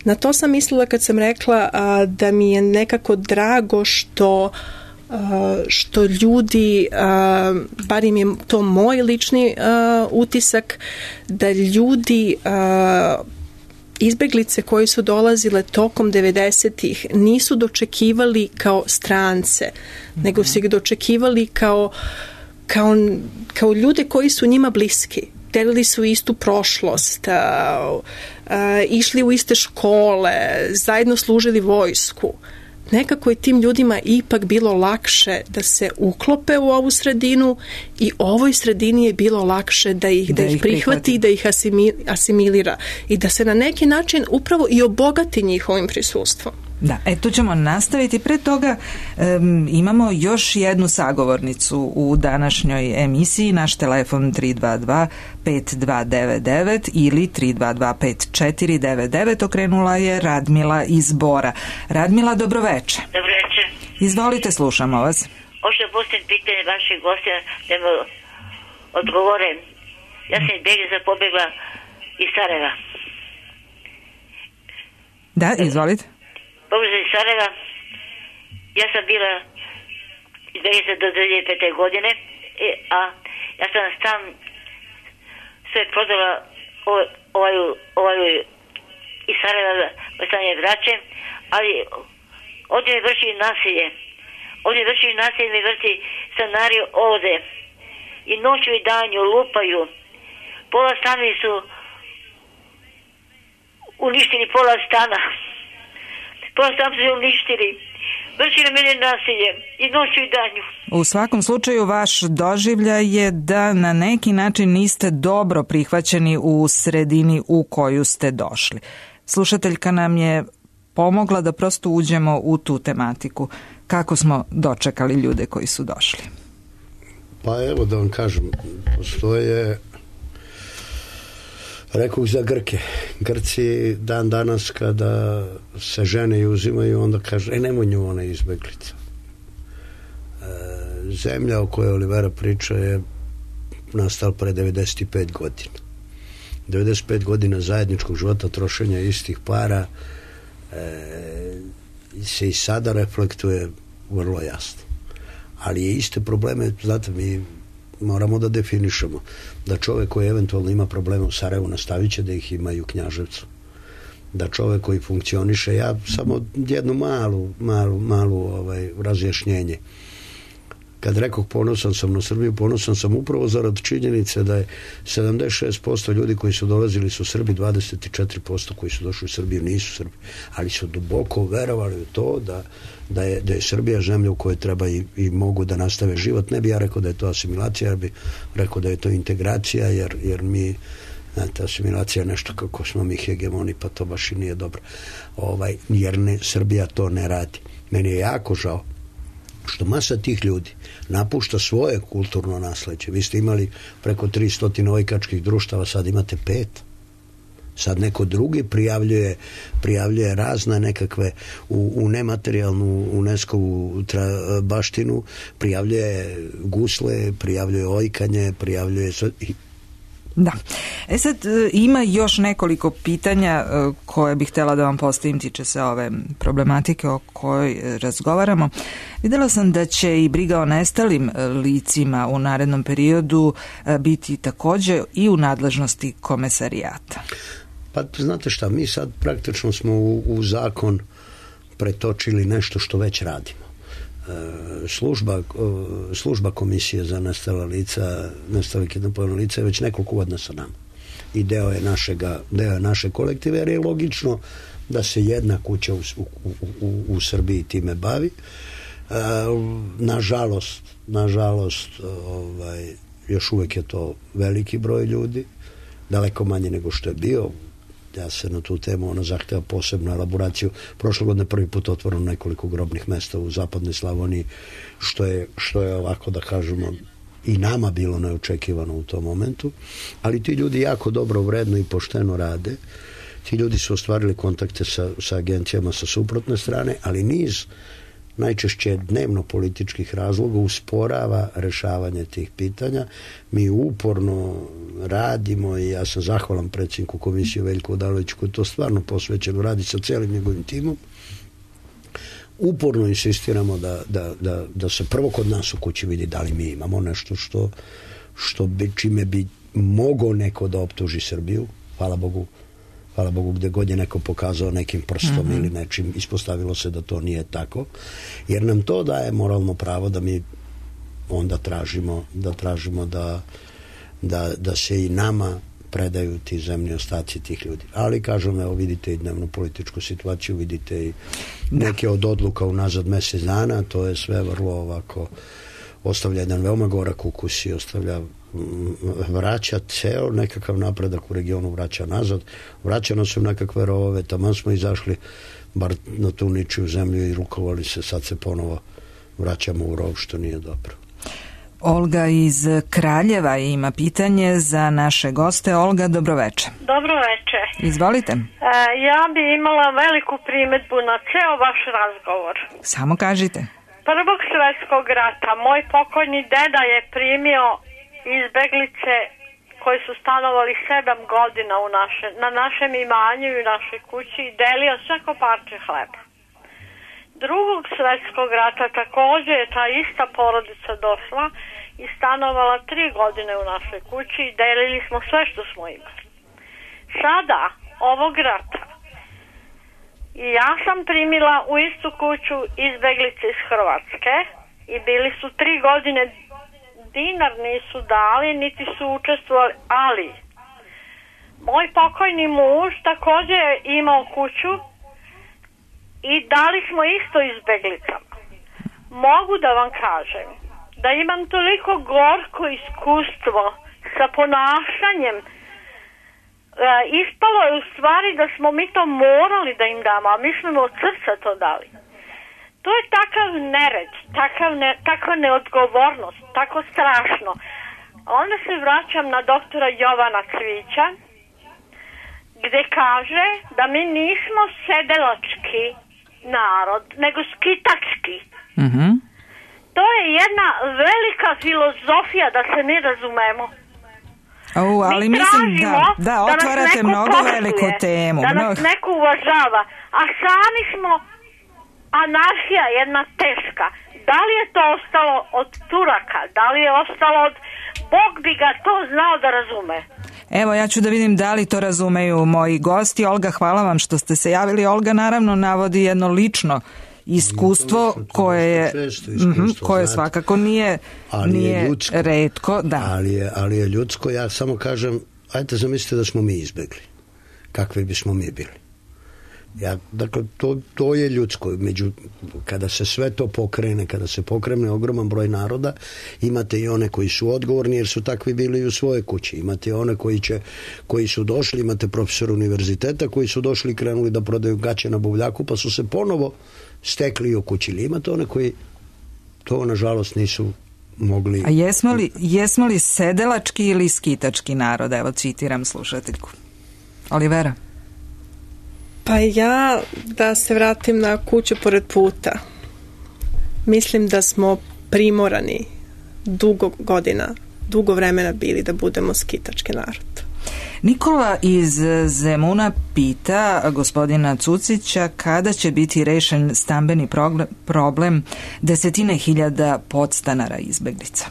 E: Na to sam mislila kad sam rekla da mi je nekako drago što što ljudi, bar im je to moj lični utisak, da ljudi izbeglice koji su dolazile tokom 90-ih nisu dočekivali kao strance, nego su ih dočekivali kao ljude koji su njima bliski. Delili su istu prošlost, išli u iste škole, zajedno služili vojsku. Nekako je tim ljudima ipak bilo lakše da se uklope u ovu sredinu i ovoj sredini je bilo lakše da ih prihvati, da ih asimilira i da se na neki način upravo i obogati njihovim prisustvom.
C: Da, tu ćemo nastaviti. Pre toga imamo još jednu sagovornicu u današnjoj emisiji. Naš telefon 322-5299 ili 322-5499. Okrenula je Radmila iz Bora. Radmila, dobroveče.
M: Dobroveče.
C: Izvolite, slušamo vas.
M: Hoću da postavim pitanje vaših gostija da mi odgovore. Ja sam izbjeglica pobjegla iz Sarajeva.
C: Da, izvolite.
M: Pobjegla iz Sarajeva. Ja sam bila izbjeglica do 2005. godine, a ja sam stan sve prodala iz Sarajeva, stanje vraće, ali ovdje mi vrši nasilje. Ovdje vrši nasilje, mi vrši stanari ovdje. I noću i danju lupaju. Pola stanovi su uništili, pola stana. Pola stana su uništili. Vrši na mene nasilje i noću i danju.
C: U svakom slučaju vaš doživljaj je da na neki način niste dobro prihvaćeni u sredini u koju ste došli. Slušateljka nam je pomogla da prosto uđemo u tu tematiku. Kako smo dočekali ljude koji su došli?
D: Pa evo da vam kažem, postoje, rekoh za Grke. Grci dan danas kada se žene i uzimaju, onda kaže, nemoj nju, ona je izbeglica. Zemlja o kojoj Olivera priča je nastala pre 95 godina. 95 godina zajedničkog života, trošenja istih para se i sada reflektuje vrlo jasno. Ali je iste probleme, znate, mi moramo da definišemo da čovek koji eventualno ima probleme u Sarajevu nastavit će da ih ima i u Knjaževcu. Da čovek koji funkcioniše, ja samo jednu malu razjašnjenje. Kad rekoh ponosan sam na Srbiju, ponosan sam upravo zarad činjenice da je 76% ljudi koji su dolazili su Srbi, 24% koji su došli u Srbiju nisu Srbi, ali su duboko verovali u to da je Srbija zemlja u kojoj treba i mogu da nastave život. Ne bi ja rekao da je to asimilacija, ja bi rekao da je to integracija, jer mi, znate, asimilacija je nešto kako smo mi hegemoni, pa to baš i nije dobro. Jer Srbija to ne radi. Meni je jako žao što masa tih ljudi napušta svoje kulturno nasleđe. Vi ste imali preko 300 ojkačkih društava, sad imate 5. Sad neko drugi prijavljuje razne nekakve u nematerijalnu UNESCO-vu baštinu, prijavljuje gusle, prijavljuje ojkanje, prijavljuje...
C: Da. Sad ima još nekoliko pitanja koje bih htjela da vam postavim, tiče se ove problematike o kojoj razgovaramo. Videla sam da će i briga o nestalim licima u narednom periodu biti također i u nadležnosti komesarijata.
D: Pa znate šta, mi sad praktično smo u zakon pretočili nešto što već radimo. Služba komisije za nestala lica, nestala kidnapovana lica je već nekoliko godina sa nama. I deo je naše kolektive, jer je logično da se jedna kuća u Srbiji time bavi. Nažalost, još uvek je to veliki broj ljudi, daleko manje nego što je bio. Ja se na tu temu zahteva posebnu elaboraciju. Prošle godine prvi put otvoreno nekoliko grobnih mesta u zapadnoj Slavoniji, što je ovako da kažemo i nama bilo neočekivano u tom momentu, ali ti ljudi jako dobro, vredno i pošteno rade. Ti ljudi su ostvarili kontakte sa agencijama sa suprotne strane, ali niz najčešće dnevno političkih razloga usporava rešavanje tih pitanja. Mi uporno radimo i ja sam zahvalan predsjedniku komisije Veljku Odaloviću koji to stvarno posvećeno radi sa celim njegovim timom uporno insistiramo da se prvo kod nas u kući vidi da li mi imamo nešto čime bi mogao neko da optuži Srbiju. Hvala Bogu gde god je neko pokazao nekim prstom ili nečim, ispostavilo se da to nije tako, jer nam to daje moralno pravo da mi onda tražimo da se i nama predaju ti zemlji ostaci tih ljudi. Ali kažem, evo vidite i dnevnu političku situaciju, vidite i neke od odluka unazad mesec dana, to je sve vrlo ovako, ostavlja jedan veoma gorak ukus i vraća ceo nekakav napredak u regionu, vraća nazad, vraća nas u nekakve rovove, tamo smo izašli bar na tu ničiju zemlju i rukovali se, sad se ponovo vraćamo u rov, što nije dobro.
C: Olga iz Kraljeva ima pitanje za naše goste. Olga, dobroveče.
N: Dobroveče.
C: Izvolite.
N: Ja bi imala veliku primedbu na ceo vaš razgovor.
C: Samo kažite.
N: Prvog svjetskog rata moj pokojni deda je primio izbeglice koji su stanovali 7 godina na našem imanju i u našoj kući i delio svako parče hleba. Drugog svjetskog rata također je ta ista porodica došla i stanovala 3 godine u našoj kući i delili smo sve što smo imali. Sada, ovog rata, i ja sam primila u istu kuću izbeglice iz Hrvatske i bili su 3 godine, dinar nisu dali, niti su učestvovali, ali moj pokojni muž također je imao kuću i dali smo isto izbeglicama. Mogu da vam kažem da imam toliko gorko iskustvo sa ponašanjem. Ispalo je u stvari da smo mi to morali da im damo, a mi smo od srca to dali. To je takav nered, takva neodgovornost, tako strašno. Onda se vraćam na doktora Jovana Cvića, gde kaže da mi nismo sedelački narod, nego skitački. To je jedna velika filozofija, da se mi razumemo.
C: Ali mislim da otvarate mnogo veliku temu.
N: Da nas neko uvažava, a sami smo anarhija jedna teška. Da li je to ostalo od Turaka, da li je ostalo od... Bog bi ga to znao da razume.
C: Evo, ja ću da vidim da li to razumeju moji gosti. Olga, hvala vam što ste se javili. Olga naravno navodi jedno lično iskustvo koje svakako nije retko. Da.
D: Ali je ljudsko. Ja samo kažem, ajte zamislite da smo mi izbegli. Kakvi bismo mi bili? Dakle, to je ljudsko. Kada se sve to pokrene, kada se pokrene ogroman broj naroda, imate i one koji su odgovorni jer su takvi bili u svojoj kući. Imate one koji su došli, imate profesor univerziteta koji su došli i krenuli da prodaju gaće na buvljaku pa su se ponovo stekli i okućili. Imate one koji to nažalost nisu mogli...
C: A jesmo li sedelački ili skitački narod? Evo, citiram slušateljku. Olivera?
E: Pa ja, da se vratim na kuću pored puta, mislim da smo primorani dugo vremena bili da budemo skitački narod.
C: Nikola iz Zemuna pita gospodina Cucića kada će biti rešen stambeni problem 10.000 podstanara izbeglica.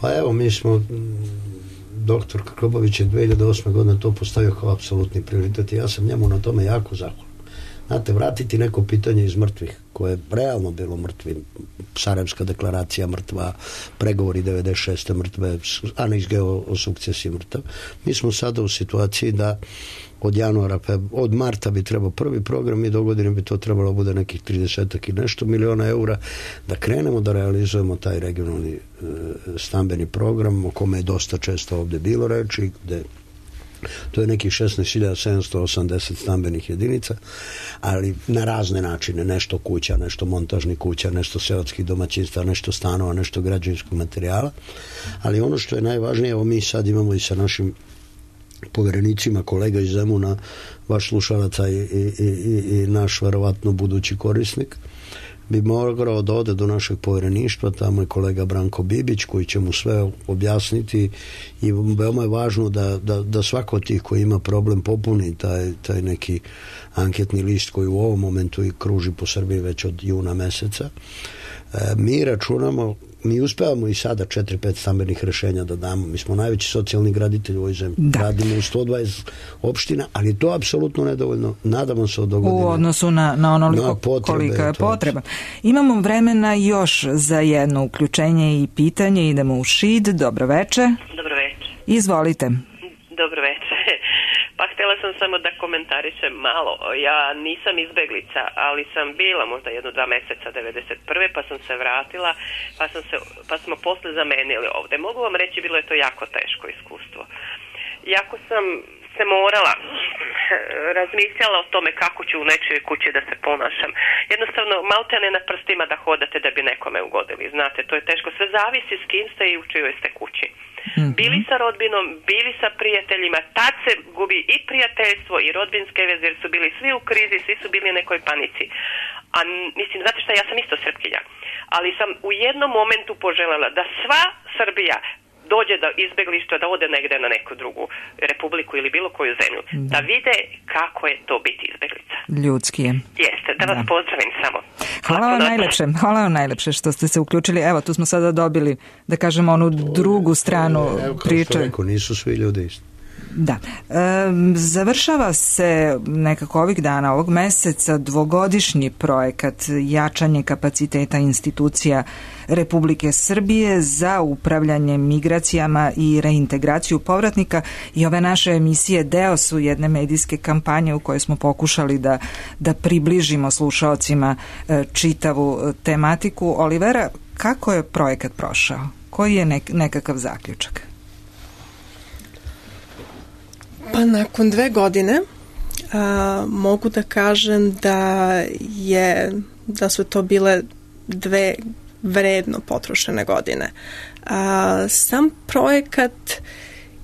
D: Pa evo, mi smo... Doktor Krkobavić je 2008. godine to postavio kao apsolutni prioritet i ja sam njemu na tome jako zahvalan. Znate, vratiti neko pitanje iz mrtvih, koje je realno bilo mrtvi, Sarajevska deklaracija mrtva, pregovori 96. mrtve, aneks o sukcesiji mrtav. Mi smo sada u situaciji da od marta bi trebao prvi program i do godine bi to trebalo bude nekih 30 i nešto miliona eura, da krenemo da realizujemo taj regionalni stambeni program o kome je dosta često ovdje bilo reči, gde to je nekih 16.780 stambenih jedinica, ali na razne načine, nešto kuća, nešto montažnih kuća, nešto seoskih domaćinstva, nešto stanova, nešto građevinskog materijala, ali ono što je najvažnije, evo mi sad imamo i sa našim poverenicima, kolega iz Zemuna, vaš slušalaca i naš verovatno budući korisnik, bi morao da ode do našeg povjereništva, tamo je kolega Branko Bibić koji će mu sve objasniti i veoma je važno da svako od tih koji ima problem popuni taj neki anketni list koji u ovom momentu i kruži po Srbiji već od juna meseca. Mi računamo, mi uspevamo i sada 4-5 stambenih rešenja da damo. Mi smo najveći socijalni graditelj u ovoj zemlji. Radimo u 120 opština, ali to je apsolutno nedovoljno. Nadamo se od dogodine.
C: U odnosu na onoliko kolika je potreba. Imamo vremena još za jedno uključenje i pitanje. Idemo u Šid. Dobro veče.
O: Dobro veče.
C: Izvolite.
O: Dobro veče. Pa htjela sam samo da komentarišem malo. Ja nisam izbeglica, ali sam bila možda 1-2 meseca 91. pa sam se vratila, pa smo posle zamenili ovde. Mogu vam reći, bilo je to jako teško iskustvo. Jako sam se morala razmišljala o tome kako ću u nečijoj kući da se ponašam. Jednostavno, maltene na prstima da hodate da bi nekome ugodili. Znate, to je teško. Sve zavisi s kim ste i u čijoj ste kući. Bili sa rodbinom, bili sa prijateljima, tad se gubi i prijateljstvo i rodbinske veze, jer su bili svi u krizi, svi su bili u nekoj panici. A mislim, znate šta, ja sam isto Srpkinja, ali sam u jednom momentu poželjela da sva Srbija dođe do izbeglištva, da ode negde na neku drugu republiku ili bilo koju zemlju, da vide kako je to biti izbeglica.
C: Ljudski je.
O: Jeste, da vas pozdravim samo.
C: Hvala vam najlepše što ste se uključili. Evo, tu smo sada dobili, da kažemo, onu drugu stranu priče.
D: Kao što nisu svi ljudi isti.
C: Da. Završava se nekako ovih dana, ovog meseca, dvogodišnji projekat jačanje kapaciteta institucija Republike Srbije za upravljanje migracijama i reintegraciju povratnika i ove naše emisije deo su jedne medijske kampanje u kojoj smo pokušali da približimo slušaocima čitavu tematiku. Olivera, kako je projekat prošao? Koji je nekakav zaključak?
E: Pa nakon 2 godine mogu da kažem da su to bile 2 vredno potrošene godine. Sam projekat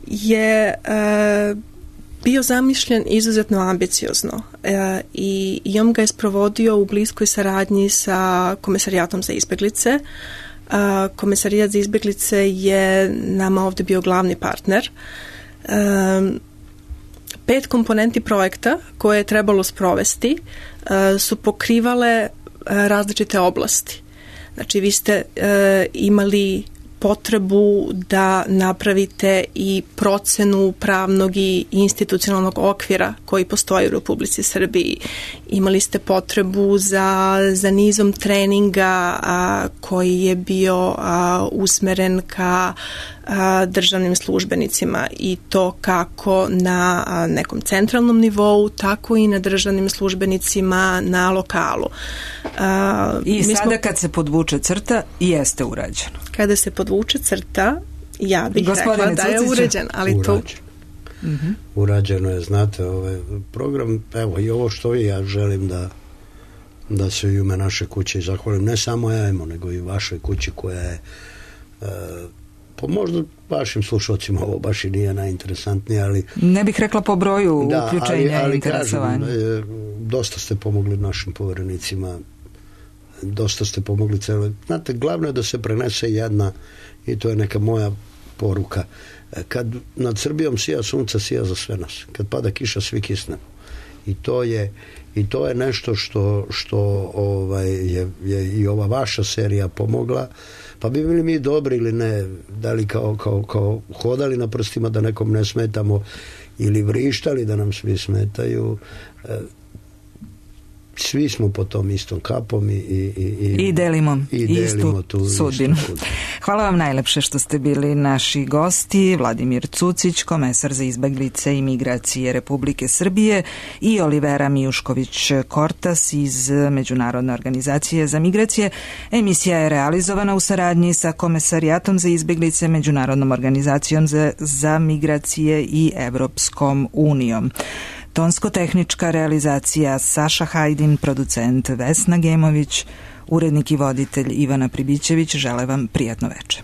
E: je bio zamišljen izuzetno ambiciozno i on ga je sprovodio u bliskoj saradnji sa Komesarijatom za izbeglice. Komesarijat za izbeglice je nama ovde bio glavni partner. 5 komponenti projekta koje je trebalo sprovesti su pokrivale različite oblasti. Znači, vi ste imali potrebu da napravite i procenu pravnog i institucionalnog okvira koji postoji u Republici Srbiji. Imali ste potrebu za nizom treninga koji je bio usmeren ka državnim službenicima i to kako na nekom centralnom nivou, tako i na državnim službenicima na lokalu.
C: I sada kad se podvuče crta, jeste urađeno.
E: Kada se podvuče crta, ja bih rekla da je uređen, ali to...
D: Urađeno je, znate, ovaj program, evo i ovo što ja želim da se u ime naše kuće zahvalim, ne samo ja nego i vašoj kući koja je po možda vašim slušalcima ovo baš i nije najinteresantnije, ali...
C: Ne bih rekla po broju uključenja i interesovanja.
D: Dosta ste pomogli našim poverenicima, dosta ste pomogli celo. Znate, glavno je da se prenese jedna, i to je neka moja poruka, kad nad Srbijom sija sunca, sija za sve nas. Kad pada kiša, svi kisnemo. I to je nešto što je i ova vaša serija pomogla. Pa bi bili mi dobri ili ne, da li kao hodali na prstima da nekom ne smetamo ili vrištali da nam svi smetaju. Svi smo po tom istom kapom
C: i delimo istu sudbinu. Hvala vam najlepše što ste bili naši gosti. Vladimir Cucić, komesar za izbeglice i migracije Republike Srbije, i Olivera Mijušković-Kortas iz Međunarodne organizacije za migracije. Emisija je realizovana u saradnji sa Komesarijatom za izbeglice, Međunarodnom organizacijom za migracije i Evropskom unijom. Tonsko-tehnička realizacija Saša Hajdin, producent Vesna Gemović, urednik i voditelj Ivana Pribićević. Žele vam prijatno veče.